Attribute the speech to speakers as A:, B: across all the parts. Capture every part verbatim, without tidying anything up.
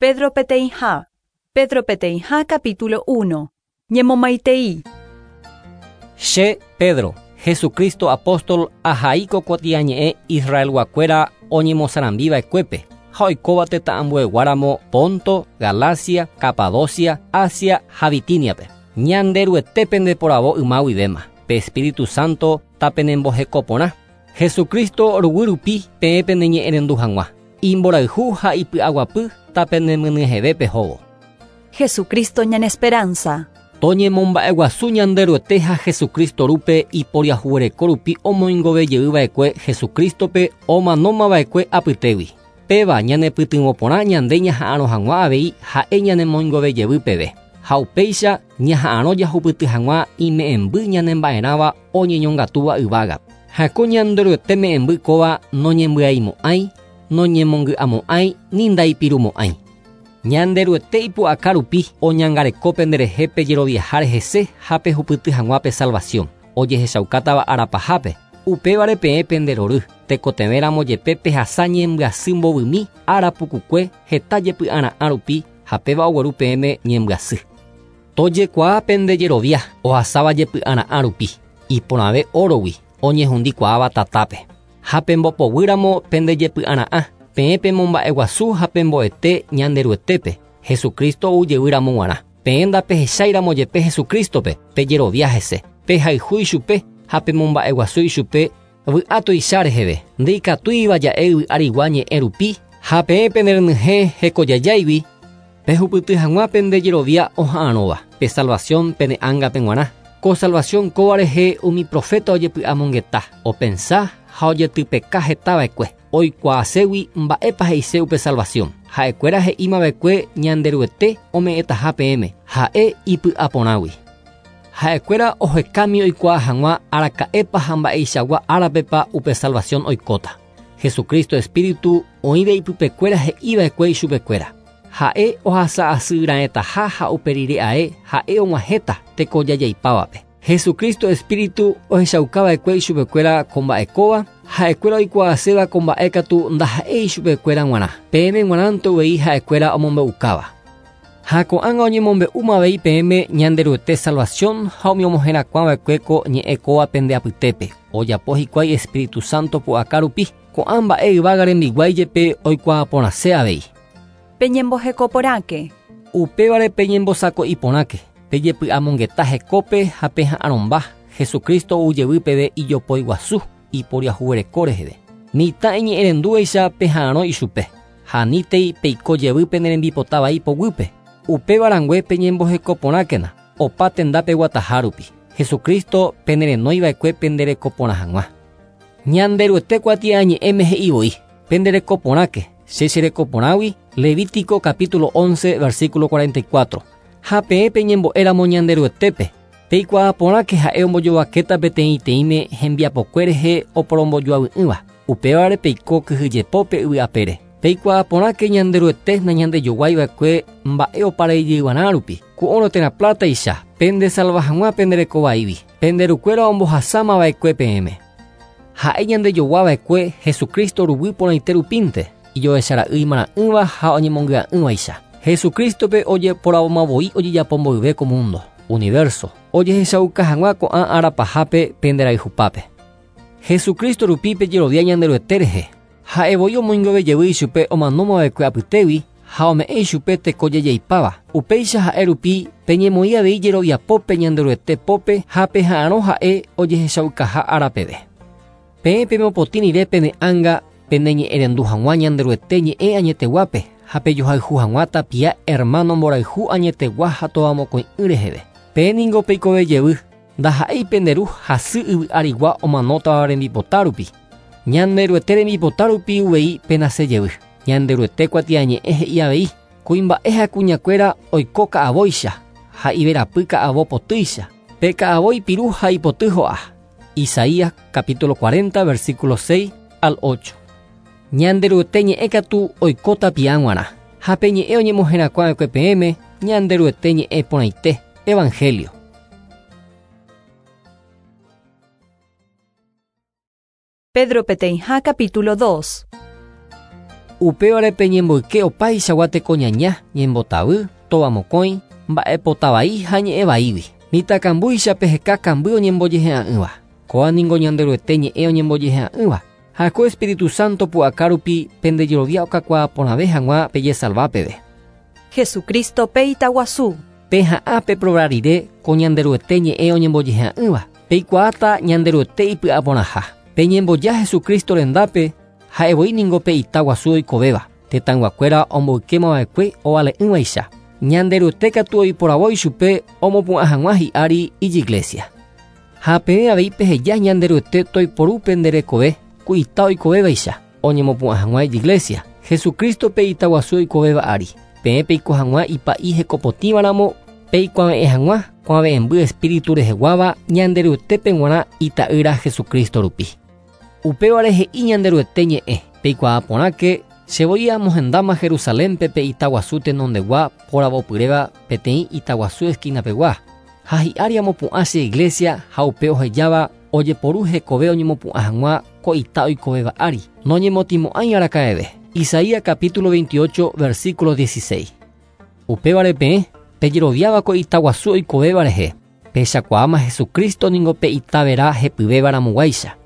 A: Pedro peteĩha. Pedro peteĩha capítulo uno. Ñemomaitei.
B: Che Pedro, Jesucristo apóstol ahai ko kuatiañe'ẽ Israelguakuéra oñemosarambiva'ekuépe ha oikóva tetã ambueguáramo Ponto, Galacia, Capadocia, Asia ha Bitiniape. Ñanderuete pendeporavo yma guivéma. Pe Espíritu Santo tapenembohekoporã. Jesucristo ruguy rupi peẽ peneñe'ẽrendu hag̃ua. Imborayhu ha ipy'aguapy tapenemyenyhẽve pehóvo.
A: Jesucristo ñane esperanza.
B: Toñemomba'eguasu Ñanderuete ha Jesucristo rupe iporiahuvereko rupi omoingovejeyva'ekue Jesucristope omanómava'ekue apytégui. Péva ñanepytyvõporã ñande ñaha'arõ hag̃ua avei ha'e ñanemoingovejey peve. Ha upéicha ñaha'arõ jahupyty hag̃ua ime'ẽmby ñanemba'erãva oñeñongatúva yvága. Ha ko Ñanderuete me'ẽmby kóva noñembyaimo'ãi, noñemongy'amo'ãi ni ndaipirumo'ãi. Ñanderuete ipu'aka rupi oñangareko penderehe pejeroviaha hese ha pehupyty hag̃ua pe salvación ojehechaukátava arapahápe. Upévare peẽ penderory tekotevẽramo jepe pehasa ñembyasy mbovymi ára pukukue heta jepy'ara'ã rupi ha péva ogueru peẽme ñembyasy. Tojekuaa pendejerovia ohasáva jepy'ara'ã rupi iporãve órogui oñehundikuaáva tatápe. Ha pembopoguýramo pendejepy'ara'ã peẽ pemomba'eguasu ha pemboete Ñanderuetépe Jesucristo oujevýramo g̃uarã. Peẽ ndapehecháiramo jepe Jesucristope pejerovia hese, pehayhu ichupe ha pemomba'eguasu ichupe vy'a tuicha reheve. Ndikatúiva ja'e yvy arigua ñe'ẽ rupi ha peẽ penerenyhẽ hekojajáigui pehupyty hag̃ua pendejerovia oha'arõva pe salvación pene ángape g̃uarã. Ko salvación kóva rehe umi profeta ojepy'amongeta, opensa ha ojetypeka hetava'ekue. Oikuaaségui mba'épa he'ise upe salvación. Ha'ekuéra he'imava'ekue Ñanderuete ome'ẽtaha peẽme, ha'e ipy'aporãgui. Ha'ekuéra ohekámi oikuaa hag̃ua araka'épa ha mba'eichagua árapepa upe salvación oikóta. Jesucristo Espíritu oĩve ipypekuéra he'iva'ekue ichupekuéra. Ha'e ohasa'asyra'ẽtaha ha uperire ae ha'e og̃uahẽta tekojajaipávape. Jesucristo Espíritu ohechaukava'ekue ichupekuéra ko mba'ekóva, ha'ekuéra oikuaaséva ko mba'e katu ndaha'éi ichupekuéra g̃uarã. Peẽme g̃uarãnte uvei ha'ekuéra omombe'ukáva. Ha ko'ág̃a oñemombe'úma avei peẽme Ñanderuete salvación ha umi omoherakuãva'ekue ko ñe'ẽ kóva pende apytépe. Ojapo hikuái Espíritu Santo pu'aka rupi. Ko'ã mba'e yvága rembiguái jepe oikuaaporãse avei.
A: Peñembohekoporãke.
B: Upévare peñembosako'iporãke. Pejepy'amongeta hekópe ha peha'arõmba Jesucristo oujevy peve ijopoiguasu iporiahuvereko reheve. Mitã iñe'ẽrendúvaicha peha'arõ ichupe. Ha anítei peiko jevy penerembipotávai poguýpe. Upéva rangue peñembohekoporãkena opa tendápe guataha rupi. Jesucristo penerenóiva'ekue penderekoporã hag̃ua. Ñanderuete kuatiañe'ẽme he'ivoi penderekoporãke che cherekoporãgui. Levítico capítulo once versículo cuarenta y cuatro. Ha peẽ peñembo'éramo Ñanderuetépe peikuaaporãke ha'e ombojovakéta peteĩteĩme hembiapokue rehe oporombojoavy'ỹva. Upévare peiko kyhyjepópe yvy'apére. Peikuaaporãke Ñanderuete nañandejoguaiva'ekue mba'e oparejeyva'erã rupi. Ko'õrõ térã plátaicha pendesalva hag̃ua penderekovaígui. Penderukuéra ombohasámava'ekue peẽme. Ha'e ñandejoguava'ekue Jesucristo ruguy porãite rupínte ijohechara'y imara'ỹva ha oñemongy'a'ỹvaicha. Jesucristope ojeporavomavoi ojejapo mboyve ko mundo, universo, ojehechauka hag̃ua ko'ã arapahápe penderayhupápe. Jesucristo rupi pejerovia Ñanderuete rehe. Ha'evoi omoingovejevy ichupe omanómava'ekue apytégui ha ome'ẽ ichupe tekojajaipáva. Upéicha ha'e rupi peñemoĩ avei jeroviapópe Ñanderuete pópe ha peha'arõ ha'e ojehechaukaha árapeve. Peẽ pemopotĩ rire pene ánga peneñe'ẽrendu hag̃ua Ñanderuete ñe'ẽ añeteguápe ha pejohayhu hag̃ua tapia hermano mborayhu añetegua ha tovamokõi'ỹ reheve. Peẽ ningo peikovejevy ndaha'éi penderu hasy yvy arigua omanótava rembipota rupi. Ñanderuete rembipota rupi uvei penasejevy. Ñanderuete kuatiañe'ẽ he'i avei kuimba'e ha kuñakuéra oiko ka'avóicha ha iverapy ka'avo potýicha. Pe ka'avo ipiru ha ipoty ho'a. Isaías capítulo cuarenta versículo seis al ocho. Ñanderuete ñe'ẽ katu oiko tapia g̃uarã. Ha pe ñe'ẽ oñemoherakuãva'ekue peẽme Ñanderuete ñe'ẽ porãite. Evangelio.
A: Pedro peteĩha capítulo dos.
B: Upévare peñemboyke opaichagua tekoñaña, ñembotavy, tovamokõi, mba'epotavai ha ñe'ẽvaígui. Mitãkambúicha peheka kamby oñembojehe'a'ỹva. Kóa ningo Ñanderuete ñe'ẽ oñembojehe'a'ỹva. Ha ko Espíritu Santo pu'aka rupi pendejerovia okakuaa porãve hag̃ua pejesalva peve.
A: Jesucristo pe itaguasu.
B: Peha'ã peprobar rire ko Ñanderuete ñe'ẽ oñembojehe'a'ỹva. Peikuaáta Ñanderuete ipy'aporãha. Peñemboja Jesucristo rendápe ha'evoi ningo pe itaguasu oikovéva. Tetãyguakuéra omboykémava'ekue ovale'ỹvaicha. Ñanderuete katu oiporavo ichupe omopu'ã hag̃ua hi'ári ijiglesia. Ha peẽ avei peheja Ñanderuete toiporu penderekove ku ita oikovévaicha oñemopu'ã hag̃ua ijiglesia. Jesucristo pe itaguasu oikovéva ári. Peẽ peiko hag̃ua ipa'i hekopotĩvaramo peikuave'ẽ hag̃ua kuave'ẽmby espíritu reheguáva Ñanderuetépe g̃uarã ita'ýra Jesucristo rupi. Upévare he'i Ñanderuete ñe'ẽ peikuaa porãke chevoi amohendáma Jerusalénpe pe itaguasu tenondegua poravopyréva peteĩ itaguasu esquinapegua. Ha hi'ári amopu'ã che iglesia ha upe ohejáva ojeporu hekove oñemopu'ã hag̃ua ko ita oikovéva ári. Noñemotĩmo'ãi araka'eve. Isaías capítulo veintiocho, versículo dieciséis. Upévare peẽ pejeroviáva ko itaguasu oikovéva rehe. Pehechakuaáma Jesucristo ningo pe itavera hepyvéva ramoguáicha.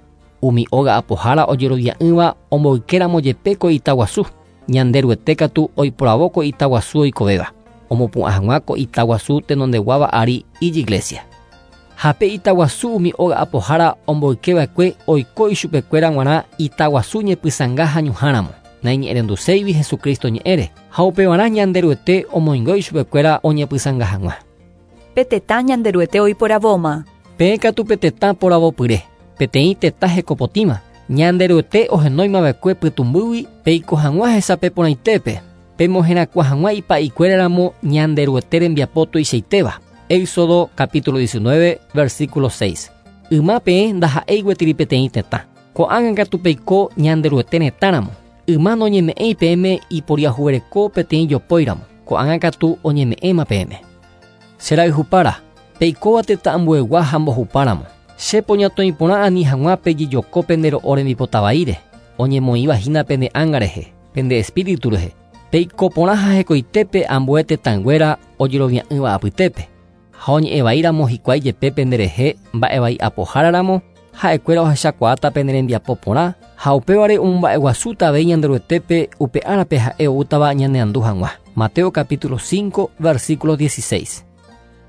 B: Umi óga apohára ojerovia'ỹva omboykéramo jepe ko itaguasu. Ñanderuete katu oiporavo ko itaguasu oikovéva. Omopu'ã hag̃ua ko itaguasu tenondeguáva ári ijiglesia. Ha pe itaguasu umi óga apohára omboykeva'ekue oiko ichupekuéra g̃uarã itaguasu ñepysãnga ha ñuhãramo. Naiñe'ẽrenduséigui Jesucristo ñe'ẽre. Ha upevarã Ñanderuete omoingo ichupekuéra oñepysãnga hag̃ua.
A: Pe tetã Ñanderuete oiporavóma.
B: Peẽ katu pe tetã poravopyre. Peteĩ tetã hekopotĩva. Ñanderuete ohenóimava'ekue pytũmbýgui peiko hag̃ua hesape porãitépe. Pemoherakuã hag̃ua ipa'ikuéraramo Ñanderuete rembiapo tuichaitéva. Éxodo capítulo diecinueve, versículo seis. Yma peẽ ndaha'éi gueteri peteĩ tetã. Ko'ág̃a katu peiko Ñanderuete retãramo. Yma noñeme'ẽi peẽme iporiahuvereko peteĩ jopóiramo. Ko'ág̃a katu oñeme'ẽma peẽme. Cherayhupára, peikóva tetã ambuegua ha mbohupáramo. Che poñatõi porã ani hag̃ua pejejoko pende ro'o rembipotavaíre. Oñemoĩva hína pende ánga rehe, pende espíritu rehe. Peiko porã ha hekoitépe ambue tetãnguéra ojerovia'ỹva apytépe. Ha oñe'ẽvaíramo hikuái jepe penderehe mba'evai apoháraramo, ha'ekuéra ohechakuaáta pene rembiapo porã ha upévare omomba'eguasúta avei Ñanderuetépe upe árape ha'e oútava ñaneandu hag̃ua. Mateo capítulo cinco, versículo dieciséis.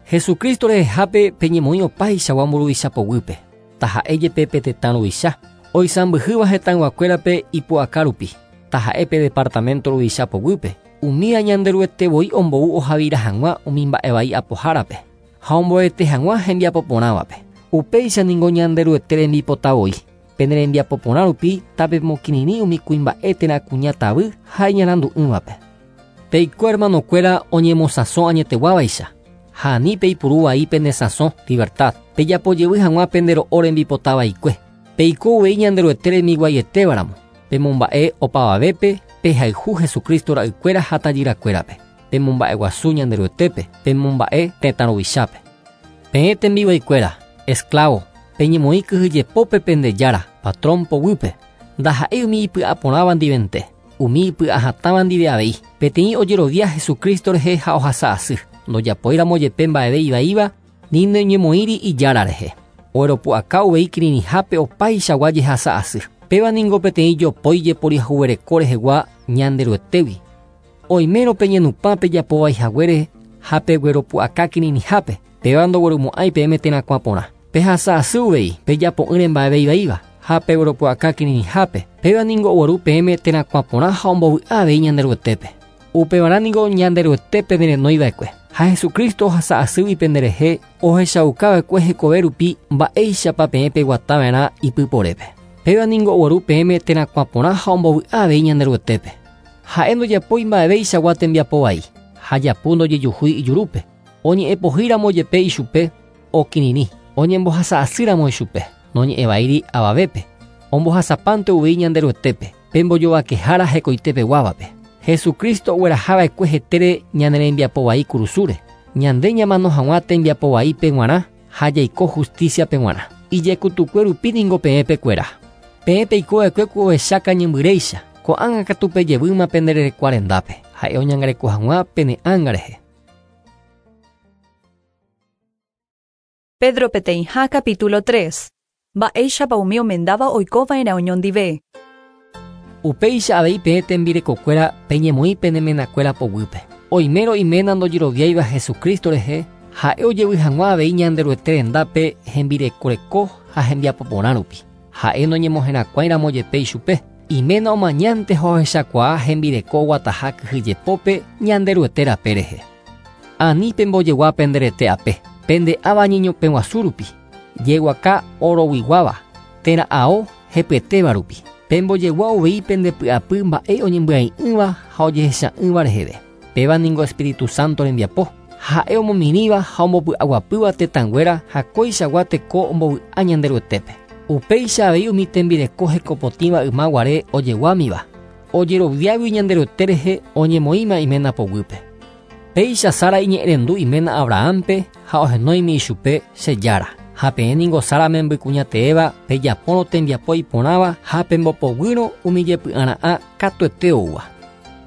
B: Jesucristo rehehápe peñemoĩ opaichagua mburuvicha poguýpe. Taha'e jepe pe tetã ruvicha. Oisãmbyhýva hetãyguakuérape ipu'aka rupi. Taha'e pe departamento ruvicha poguýpe. Umíva Ñanderuete voi ombou ohavira hag̃ua umi mba'evai apohárape. Ha omboete hag̃ua hembiapo porãvape. Upéicha ningo Ñanderuete rembipota voi. Pene rembiapo porã rupi tapemokirirĩ umi kuimba'e térã kuña tavy ha iñarandu'ỹvape. Peiko hermanokuéra oñemosãso añeteguávaicha. Ha ani peipuru vai pene sãso, libertad. Pejapojevy hag̃ua pende ro'o rembipotavaikue. Peiko uvei Ñanderuete rembiguaietévaramo. Pemomba'e opavavépe pehayhu Jesucristo ra'ykuéra ha tajyrakuérape. Pemomba'eguasu Ñanderuetépe, pemomba'e tetã ruvichápe. Peẽ tembiguaikuéra, esclavo, peñemoĩ kyhyjepópe pende jára, patrón poguýpe. Ndaha'éi umi ipy'aporãva ndivente, umi ipy'ahatãva ndive avei. Peteĩ ojerovia Jesucristo rehe ha ohasa asy. Ndojapóiramo jepe mba'eve ivaíva, ni noñemoĩri ijára rehe. Oeropu'aka uvei kirirĩhápe opaichagua jehasa asy. Péva ningo peteĩ jopói jeporiahuvereko rehegua Ñanderuetégui. Oimérõ peñenupã pejapovaihaguére ha pegueropu'aka kirirĩhápe. Péva ndoguerumo'ãi peẽme terakuã porã. Pehasa asy uvei pejapo'ỹre mba'eve ivaíva ha pegueropu'aka kirirĩhápe. Péva ningo ogueru peẽme terakuã porã ha ombovy'a avei Ñanderuetépe. Upevarã ningo Ñanderuete penerenóiva'ekue. Ha Jesucristo ohasa asýgui penderehe ohechaukava'ekue hekove rupi mba'éichapa peẽ peguatava'erã ipyporépe. Péva ningo ogueru peẽme terakuã porã ha ombovy'a avei Ñanderuetépe. Ha'e ndojapói mba'eveichagua tembiapo vai. Ha japu ndojejuhúi ijurúpe. Oñe'ẽpohýramo jepe ichupe okirirĩ. Oñembohasa asýramo ichupe. Noñe'ẽvaíri avavépe. Ombohasapánte uvei Ñanderuetépe. Pembojovakehára hekoitepeguávape. Jesucristo oguerahava'ekue hetére ñane rembiapo vai kurusúre. Ñande ñamano hag̃ua tembiapo vaípe g̃uarã ha jaiko justiciape g̃uarã. Ijekutukue rupi ningo peẽpekuéra. Peẽ peikova'ekue ku ohecha kañymbyréicha. Ko'ág̃a katu pejevýma pende rerekua rendápe, ha'e oñangareko hag̃ua pene ánga rehe.
A: Pedro peteĩha capítulo tres. Mba'éichapa umi omendáva oikova'erã oñondive.
B: Upéicha avei peẽ tembirekokuéra peñemoĩ pene menakuéra poguýpe. Oimérõ iména ndojeroviáiva Jesucristo rehe, ha'e ojevy hag̃ua avei Ñanderuete rendápe hembirekoreko ha hembiapo porã rupi. Ha'e noñemoherakuãiramo jepe ichupe. Iména omañánte ha ohechakuaa hembireko oguataha kyhyjepópe Ñanderuete rape rehe. Ani pembojegua penderete ape, pende'áva ñeñopẽguasu rupi, jeguaka oroguiguáva, térã ao hepyetéva rupi. Pembojegua uvei pendepy'apy mba'e oñembyai'ỹva ha ojehecha'ỹva reheve. Péva ningo Espíritu Santo rembiapo, ha'e omomirĩva ha ombopy'aguapýva tetãnguéra ha kóichagua teko ombovy'a Ñanderuetépe. Upéicha avei umi tembireko hekopotĩva ymaguare ojeguámiva, ojeroviágui Ñanderuete rehe oñemoĩma iména poguýpe. Péicha Sara iñe'ẽrendu iména Abrahampe ha ohenóimi ichupe che jára. Ha peẽ ningo Sara membykuñateéva pejapórõ tembiapo iporãva ha pembopoguýrõ umi jepy'ara'ã katuete oúva.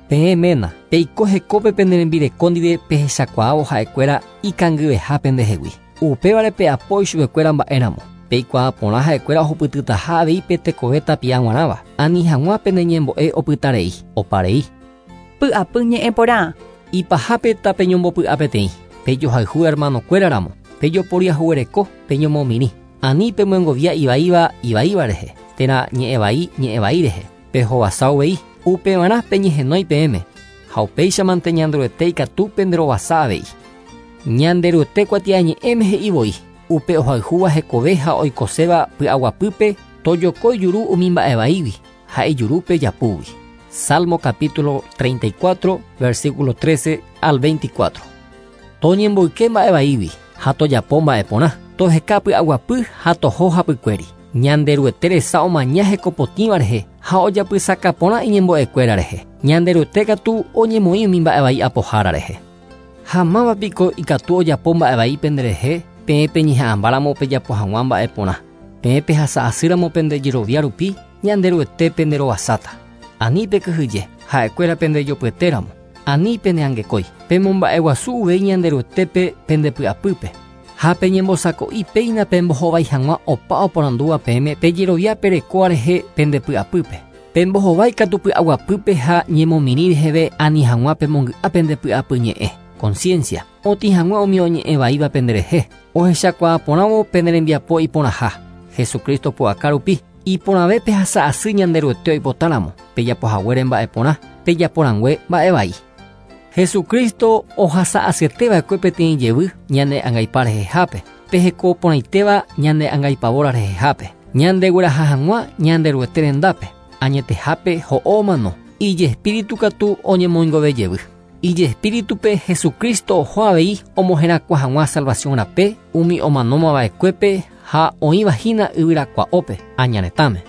B: Peẽ ména, peiko hekópe pene rembireko ndive pehechakuaávo ha'ekuéra ikangyveha pendehegui. Upévare pe'apo ichupekuéra mba'éramo. Peikuaa porã ha'ekuéra ohupytytaha avei pe tekove tapia g̃uarãva. Ani hag̃ua pene ñembo'e opytarei, oparei.
A: Py'apy ñe'ẽ porã.
B: Ipahápe tapeñombopy'a peteĩ. Pejohayhu hermanokuéraramo. Pejoporiahuvereko, peñomomirĩ. Ani pemyengovia ivaíva ivaíva rehe, térã ñe'ẽvai ñe'ẽvai rehe. Pehovasa uvei, upevarã peñehenói peẽme. Ha upéichamante Ñanderuete ikatu penderovasa avei. Ñanderuete kuatiañe'ẽme he'ivoi, upe ohayhúva hekove ha oikoséva py'aguapýpe tojoko ijuru umi mba'evaígui ha ijurúpe japúgui. Salmo capítulo treinta y cuatro, versículo trece al veinticuatro. Toñemboyke mba'evaígui ha tojapo mba'eporã, toheka py'aguapy ha toho hapykuéri. Ñanderuete resa omaña hekopotĩva rehe ha ojapysaka porã iñembo'ekuéra rehe. Ñanderuete katu oñemoĩ umi mba'evai apohára rehe. Ha mávapiko ikatu ojapo mba'evai penderehe, peẽ peñeha'ãmbáramo pejapo hag̃ua mba'eporã. Peẽ pehasa'asýramo pendejerovia rupi, Ñanderuete penderovasáta. Ani pekyhyje, ha'ekuéra pendejopyetéramo. Ani peneangekói, pemomba'eguasu uvei Ñanderuetépe pendepy'apýpe. Ha peñembosako'i péina pembohovái hag̃ua opa oporandúva peẽme pejerovia perekóva rehe pendepy'apýpe. Pembohovái katu py'aguapýpe ha ñemomirĩ reheve ani hag̃ua pemongy'a pendepy'apy ñe'ẽ. Conciencia, otĩ hag̃ua umi oñe'ẽvaíva penderehe, ohechakuaa porãvo pene rembiapo iporãha. Jesucristo pu'aka rupi, iporãve pehasa'asy Ñanderuete oipotáramo, pejapohaguére mba'eporã, pejaporãngue mba'evai. Jesucristo ohasa'asyeteva'ekue peteĩ jevy ñane angaipa rehehápe, peheko porãitéva ñane angaipavóra rehehápe, ñandegueraha hag̃ua Ñanderuete rendápe, añetehápe ho'o omano, ijespíritu katu oñemoingove jevy. Ijespíritupe Jesucristo oho avei omoherakuã hag̃ua salvación rape umi omanómava'ekuépe ha oĩvahína yvyrakua'ópe añaretãme.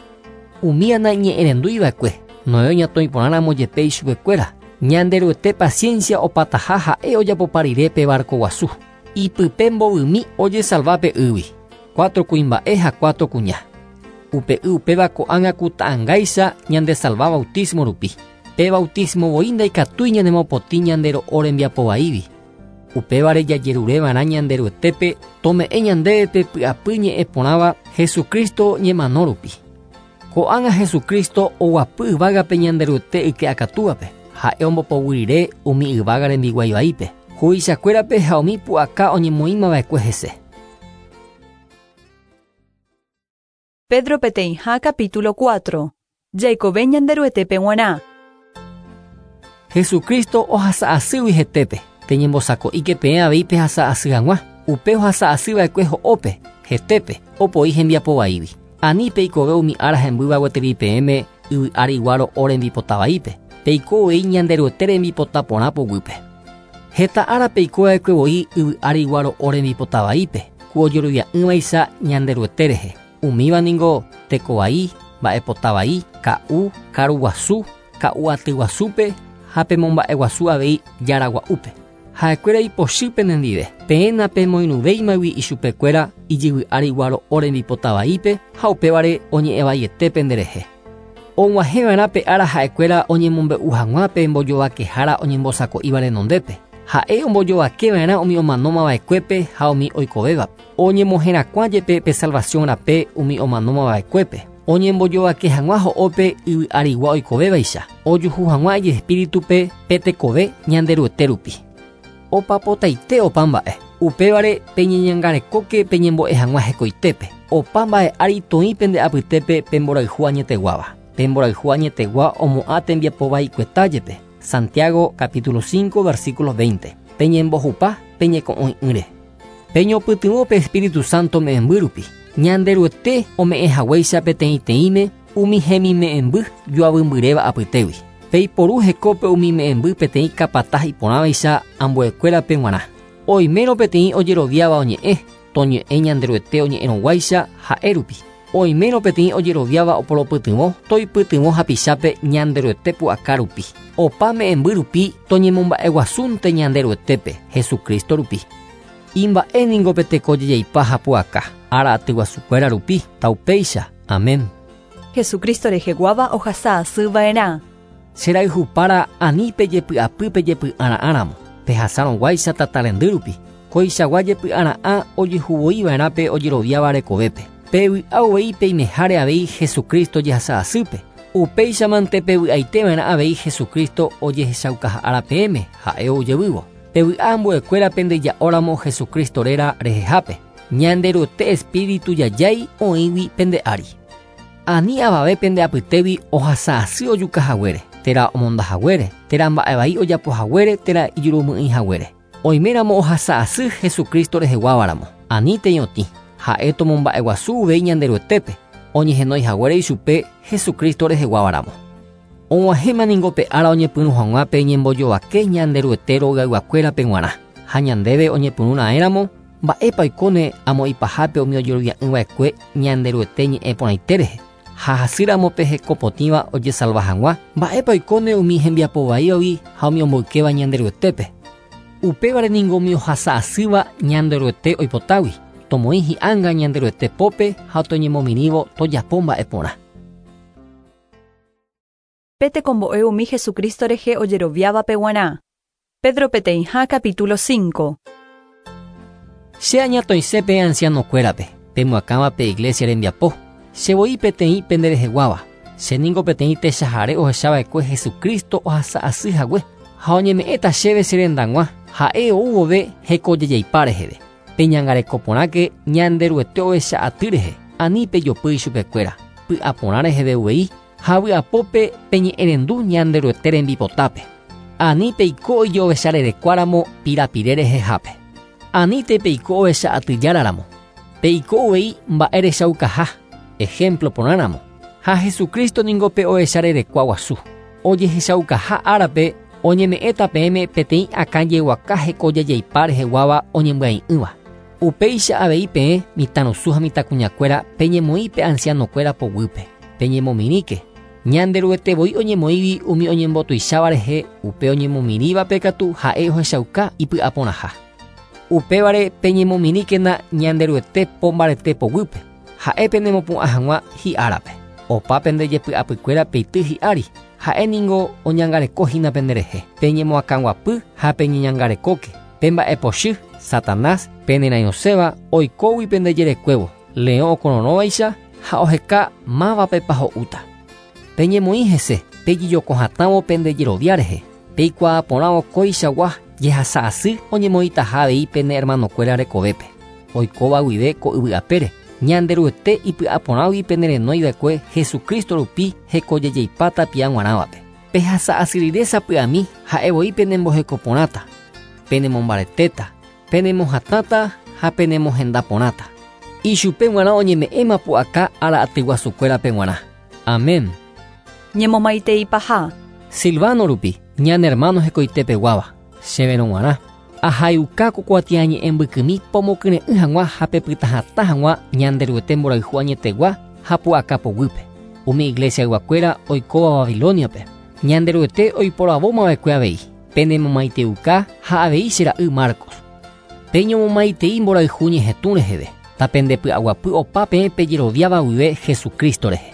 B: Umi naiñe'ẽrenduiva'ekue, Noé oñatõiporãramo jepe ichupekuéra, Ñanderuete paciencia opataha ha'e ojapopa rire pe barco guasu. Ipype mbovymi ojesalva pe ýgui, cuatro kuimba'e ha cuatro kuña. Upe y upéva ko'ág̃a ku ta'ãngáicha ñandesalva bautismo rupi. Pe bautismo voi ndaikatúi ñanemopotĩ ñandero'o rembiapovaígui. Upévare jajerureva'erã Ñanderuetépe tome'ẽ ñandéve pe py'apy ñe'ẽ porãva Jesucristo ñemano rupi. Ko'ág̃a Jesucristo oguapy yvágape Ñanderuete yke akatúvape, ha'e ombopoguyrire umi yvága rembiguaivaípe, huvichakuérape ha umi pu'aka oñemoĩmava'ekue hese.
A: Pedro peteĩha capítulo cuatro. Jaikove Ñanderuetépe g̃uarã.
B: Jesucristo ohasa'asýgui hetépe, peñembosako'íke peẽ avei pehasa'asy hag̃ua, upe ohasa'asyva'ekue ho'ópe, hetépe, opoi hembiapovaígui. Ani peikove umi ára hembýva gueteri peẽme yvy ári iguáro rembipotavaípe, peiko uvei Ñanderuete rembipota porã poguýpe. Heta ára peikova'ekue voi yvy ári iguáro rembipotavaípe, ku ojerovia'ỹvaicha Ñanderuete rehe. Umíva ningo tekovai, mba'epotavai, ka'u, karuguasu, ka'u atyguasúpe ha pemomba'eguasu avei jaragua'úpe. Ha'ekuéra ipochy penendive, peẽ napemoirũvéimagui ichupekuéra ijyvy ári iguáro rembipotavaípe ha upévare oñe'ẽvaiete penderehe. Og̃uahẽva'erã pe ára ha'ekuéra oñemombe'u hag̃ua pe mbojovakehára oñembosako'íva renondépe. Ha'e ombojovakeva'erã umi omanómava'ekuépe ha umi oikovévape. Oñemoherakuã jepe pe salvación rape umi omanómava'ekuépe. Oñembojovake hag̃ua ho'ópe yvy arigua oikovévaicha. Ojuhu hag̃ua ijespíritupe pe tekove Ñanderuete rupi. Opapotaite opa mba'e. Upévare peñeñangarekóke peñembo'e hag̃ua hekoitépe. Opa mba'e ári toĩ pende apytépe pe mborayhu añeteguáva. Pe mborayhu añetegua omo'ã tembiapo vaikueta jepe. Santiago capítulo cinco versículo veinte. Peñembohupa peñeko'õi'ỹre. Peñopytyvõ pe Espíritu Santo me'ẽmby rupi. Ñanderuete ome'ẽ haguéicha peteĩteĩme umi hemime'ẽmby joavymbyréva apytégui. Peiporu hekópe umi me'ẽmby peteĩ kapata iporãvaicha ambuekuérape g̃uarã. Oimérõ peteĩ ojeroviáva oñe'ẽ, toñe'ẽ Ñanderuete oñe'ẽrõguáicha ha'e rupi. Oimérõ peteĩ ojeroviáva oporopytyvõ, toipytyvõ hapichápe Ñanderuete pu'aka rupi. Opa me'ẽmby rupi toñemomba'eguasúnte Ñanderuetépe, Jesucristo rupi. Imba'e ningo pe teko jejeipa ha pu'aka, ára atyguasukuéra rupi, taupéicha. Amén.
A: Jesucristo reheguáva ohasa asy va'erã.
B: Cherayhupára ani pejepy'apy pejepy'ara'ãramo. Pehasárõguáicha tata rendy rupi. Koichagua jepy'ara'ã ojehuvoiva'erã pe ojeroviáva rekovépe. Pevy'a uvei peimeháre avei Jesucristo jehasa asýpe. Upéichamante pevy'aiteva'erã avei Jesucristo ojehechaukaha peẽme ha'e ojevývo. Pevy'a ambuekuéra pendeja'óramo Jesucristo réra rehehápe. Ñanderuete Espíritu jajái oĩgui pende ári. Ani avave pende apytégui ohasa asy ojuka haguére, térã omonda haguére, térã mba'e vai ojapo haguére, térã ijurumy'ỹi haguére. Oiméramo ohasa asy Jesucristo reheguávaramo. Ani teñotĩ. Ha'e tomomba'eguasu uvei Ñanderuetépe, oñehenói haguére ichupe Jesucristo reheguávaramo. Og̃uahẽma ningo pe ára oñepyrũ hag̃ua pe ñembojovake Ñanderuete rogayguakuérape g̃uarã. Ha ñandéve oñepyrũra'ẽramo, mba'épa oikóne amo ipahápe umi ojerovia'ỹva'ekue Ñanderuete ñe'ẽ porãite rehe. Ha hasýramo pe hekopotĩva ojesalva hag̃ua, mba'épa oikóne umi hembiapovaívagui ha umi omboykéva Ñanderuetépe. Upévare ningo umi ohasa asýva Ñanderuete oipotágui. Tomoĩ hi'ánga Ñanderuete pópe ha toñemomirĩvo tojapo mba'e porã.
A: Pe tekombo'e umi Jesucristo rehe ojeroviávape g̃uarã. Pedro peteĩha capítulo cinco.
B: Che añatoĩse pe ancianokuérape, pemoakãva pe iglesia rembiapo. Che voi peteĩ pendereheguáva. Che ningo peteĩ techahare ohechava'ekue Jesucristo ohasa asy hague. Ha oñeme'ẽta chéve che rendag̃ua, ha'e ou vove hekojejeipa reheve. Peñangareko porãke Ñanderuete ohecha aty rehe, ani pejopy ichupekuéra. Py'aporã reheve uvei, ha vy'apópe peñe'ẽrendu Ñanderuete rembipotápe. Ani peiko ijovecharerekuáramo pirapire rehehápe. Anite peiko ohecha atyjáraramo. Peiko uvei mba'erechaukaha, ejemplo porãramo. Ha Jesucristo ningo pe ohecharerekua guasu. Ojehechaukaha árape oñeme'ẽta peẽme peteĩ akãjeguaka hekojejeipa reheguáva oñembyai'ỹva. Upéicha avei peẽ mitãrusu ha mitãkuñakuéra peñemoĩ pe ancianokuéra poguýpe. Peñemomirĩke. Ñanderuete voi oñemoĩvi umi oñembotuicháva rehe, upe oñemomirĩvape katu ha'e ohechauka ipy'aporãha. Upévare peñemomirĩkena Ñanderuete po mbarete poguýpe. Ha'e penemopu'ã hag̃ua hi'árape. Opa pende jepy'apykuéra peity hi'ári. Ha'e ningo oñangarekohína penderehe. Peñemoakãguapy ha peñeñangarekóke. Pe mba'epochy, Satanás, penerãiosẽva oikógui pendejerekuévo, leõ okororõvaicha ha oheka mávapepa ho'úta. Peñemoĩ hese, pejijokohatãvo pendejerovia rehe. Peikuaaporãvo kóichagua jehasa asy oñemoĩtaha avei pene hermanokuéra rekovépe. Oikóva guive ko yvy'apére. Ñanderuete ipy'aporãgui penerenóiva'ekue Jesucristo rupi hekojejeipa tapia g̃uarãvape. Pehasa asy rire sapy'ami ha'e voi penembohekoporãta, penemombaretéta, penemohatãta ha penemohendaporãta. Ichupe g̃uarã oñeme'ẽma pu'aka ára atyguasukuérape g̃uarã. Amén.
A: Ñemomaiteipaha.
B: Silvano rupi, ñane hermano hekoitepeguáva, chéverõ g̃uarã. Ahayuka ko kuatiañe'ẽ mbykymi pomokyre'ỹ hag̃ua ha pepytahatã hag̃ua Ñanderuete mborayhu añetegua ha pu'aka poguýpe. Umi iglesiayguakuéra oikóva Babiloniape. Ñanderuete oiporavómava'ekue avei. Penemomaiteuka ha avei che ra'y Marcos. Peñomomaitei mborayhu ñehetũ reheve. Tapendepy'aguapy opa peẽ pejeroviáva guive Jesucristo rehe.